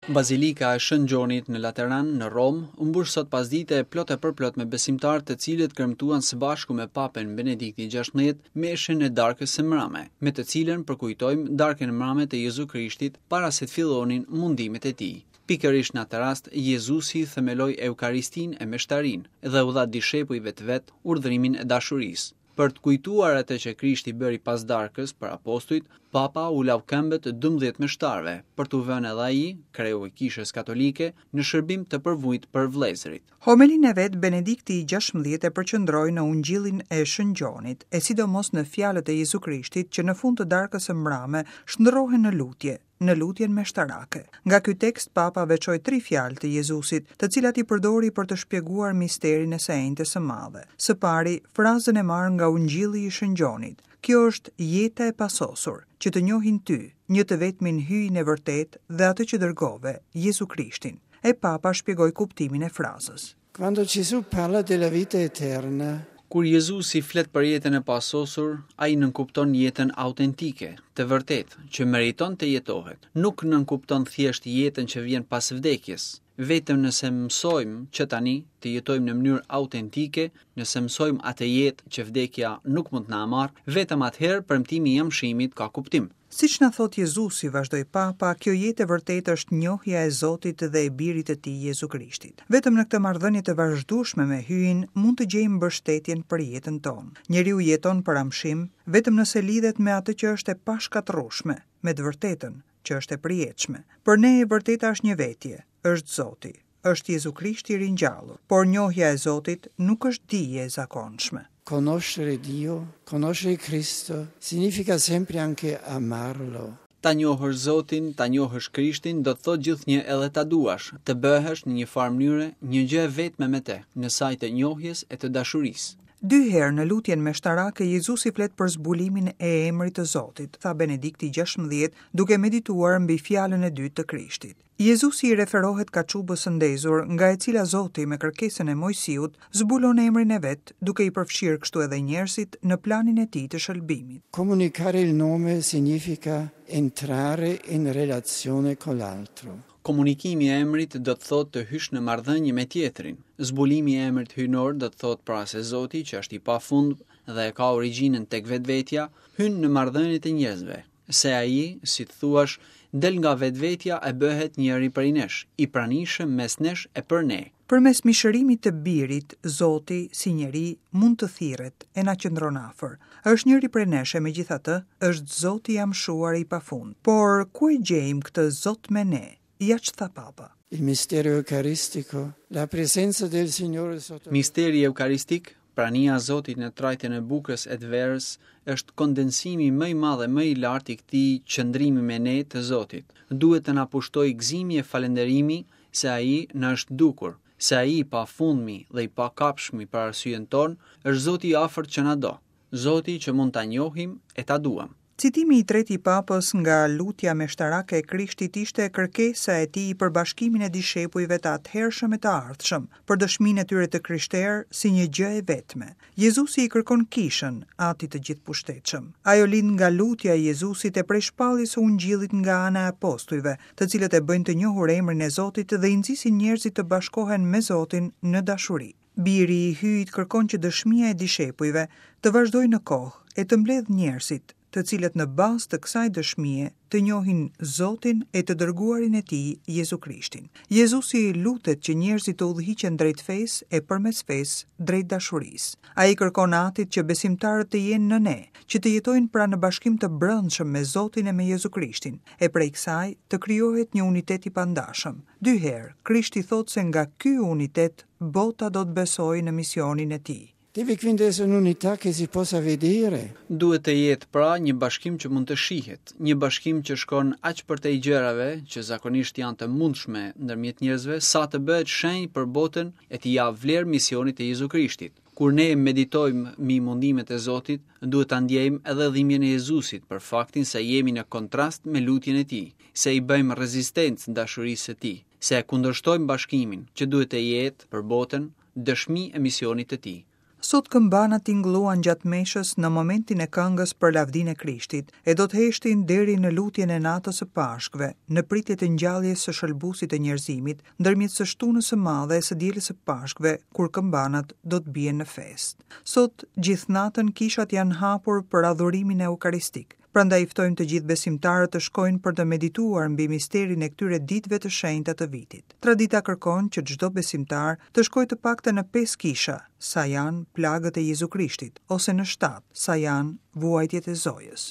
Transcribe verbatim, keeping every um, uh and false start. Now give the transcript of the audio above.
Bazilika e Shën Gjonit në Lateran, në Romë, u mbush sot pasdite plot e përplot me besimtarë të cilët kremtuan së bashku me Papën Benediktin gjashtëmbëdhjetë meshën e darkës së mrame, me të cilën përkujtojmë darkën e mrame të Jezu Krishtit para se të fillonin mundimet e tij. Pikërisht në atë rast, Jezusi themeloi Eukaristinë e meshtarinë dhe u dha dishepujve të vet urdhrimin e dashurisë. Për të kujtuar atë që Krishti bëri pas darkës për apostujt, Papa u lau këmbët dymbëdhjetë meshtarëve, për t'u vënë edhe ai, kreu i Kishës Katolike, në shërbim të përvujt për vëllezërit. Homelinë e vet Benedikti i gjashtëmbëdhjetë e përqendroi në Ungjillin e Shën Gjonit, e sidomos në fjalët e Jezu Krishtit që në fund të darkës së mbrame shndërrohen në lutje, në lutjen meshtarake. Nga ky tekst Papa veçoi tri fjalë të Jezusit, të cilat i përdori për të shpjeguar misterin e së enjtes së madhe. Së pari, frazën e marrë nga Ungjilli i Shën Gjonit. Kjo është jeta e pasosur, që të njohin ty, një të vetmin hyjin e vërtet dhe atë që dërgove, Jezu Krishtin. E Papa shpjegoi kuptimin e frazës. Quando Gesù parla della vita eterna, Kur Jezusi flet për jetën e pasosur, ai nënkupton jetën autentike, të vërtetë, që meriton të jetohet. Nuk nënkupton thjesht jetën që vjen pas vdekjes. Vetëm nëse mësojmë që tani të jetojmë në mënyrë autentike, nëse mësojmë atë jetë që vdekja nuk mund të na marrë, vetëm atëherë premtimi i amshimit ka kuptim. Siç na thot Jezusi, vazhdoi Papa, kjo jetë e vërtetë është njohja e Zotit dhe e Birit të Tij Jezu Krishtit. Vetëm në këtë marrëdhënie të vazhdueshme me Hyjin mund të gjejmë mbështetjen për jetën tonë. Njeriu jeton për amshim vetëm nëse lidhet me atë që është e pashkatërrueshme, me të vërtetën që është e përjetshme. Për ne e vërteta është një vetje, është Zoti, është Jezu Krishti i ringjallur, por njohja e Zotit nuk është dije e zakonshme. Conoscere Dio, conoscere Cristo, significa sempre anche amarlo. Ta njohësh Zotin, ta njohësh Krishtin, do të thotë gjithnjë edhe ta duash, të bëhesh në një farë mënyre një gjë e vetme me të, në saj të njohjes e të dashurisë. Dy herë në lutjen meshtarake Jezusi flet për zbulimin e emrit të Zotit, tha Benedikti gjashtëmbëdhjetë, duke medituar mbi fjalën e dytë të Krishtit. Jezusi i referohet kaçubës së ndezur, nga e cila Zoti me kërkesën e Mojsiut zbulon emrin e vet, duke i përfshirë kështu edhe njerëzit në planin e tij të shëlbimit. Comunicare il nome significa entrare in relazione con l'altro. Komunikimi i emrit do të thotë të hysh në marrëdhënie me tjetrin. Zbulimi i emrit hyjnor do të thotë pra se Zoti, që është i pafund dhe e ka origjinën tek vetvetja, hyn në marrëdhëniet e njerëzve, se ai, si të thuash, del nga vetvetja e bëhet njëri prej nesh, i pranishëm mes nesh e për ne. Përmes mishërimit të birit, Zoti, si njeri, mund të thirret e na qëndron afër. Është njëri prej nesh e megjithatë, është Zoti i amshuar i pafund. Por ku e gjejmë këtë Zot me ne? Ja ç'tha Papa. Il mistero eucaristico, la presenza del Signore sotto Misteri eukaristik, prania e Zotit në trajtën e bukës e të verës, është kondensimi më i madh e më i lartë i këtij qëndrimi me ne të Zotit. Duhet të na pushtojë gëzimi e falënderimi se ai na është dukur, se ai i pafundmi dhe i pakapshmi për arsyen tonë, është Zoti i afërt që na do, Zoti që mund ta njohim e ta duam. Citimi i tretë i Papës nga lutja meshtarake e Krishtit ishte kërkesa e tij për bashkimin e dishepujve të atëhershëm e të ardhshëm, për dëshminë e tyre të krishterë si një gjë e vetme. Jezusi i kërkon kishën, Atit të gjithëpushtetshëm. Ajo lind nga lutja e Jezusit e prej shpalljes së Ungjillit nga ana e apostujve, të cilët e bëjnë të njohur emrin e Zotit dhe i nxisin njerëzit të bashkohen me Zotin në dashuri. Biri i Hyjit kërkon që dëshmia e dishepujve të vazhdojë në kohë e të mbledh njerëzit, të cilët në bazë të kësaj dëshmie të njohin Zotin e të dërguarin e tij, Jezu Krishtin. Jezusi lutet që njerëzit të udhëhiqen drejt fesë e përmes fesë drejt dashurisë. Ai kërkon Atit që besimtarët të jenë në ne, që të jetojnë pra në bashkim të brendshëm me Zotin e me Jezu Krishtin, e prej kësaj të krijohet një unitet i pandashëm. Dy herë, Krishti thotë se nga ky unitet bota do të besojë në misionin e tij. Deve quindi essere un'unità che si possa vedere. Duhet të jetë pra një bashkim që mund të shihet, një bashkim që shkon aq përtej gjërave që zakonisht janë të mundshme ndërmjet njerëzve, sa të bëhet shenjë për botën e t'i japë vlerë misionit të Jezu Krishtit. Kur ne meditojmë mbi mundimet e Zotit, duhet ta ndjejmë edhe dhimbjen e Jezusit për faktin se jemi në kontrast me lutjen e tij, se i bëjmë rezistencë dashurisë së tij, se e kundërshtojmë bashkimin që duhet të jetë për botën dëshmi e misionit të tij. Sot këmbanat tingëlluan gjatë meshës në momentin e këngës për lavdinë e Krishtit, e do të heshtin deri në lutjen e natës së Pashkëve, në pritje të ngjalljes së shëlbuesit të njerëzimit, ndërmjet së shtunës së madhe e së dielës së Pashkëve, kur këmbanat do të bien në festë. Sot gjithë natën kishat janë hapur për adhurimin eukaristik. Prandaj i ftojmë të gjithë besimtarët të shkojnë për të medituar mbi misterin e këtyre ditëve të shenjta të vitit. Tradita kërkon që çdo besimtar të shkojë të paktën në pesë kisha, sa janë plagët e Jezu Krishtit, ose në shtatë, sa janë vuajtjet e Zojës.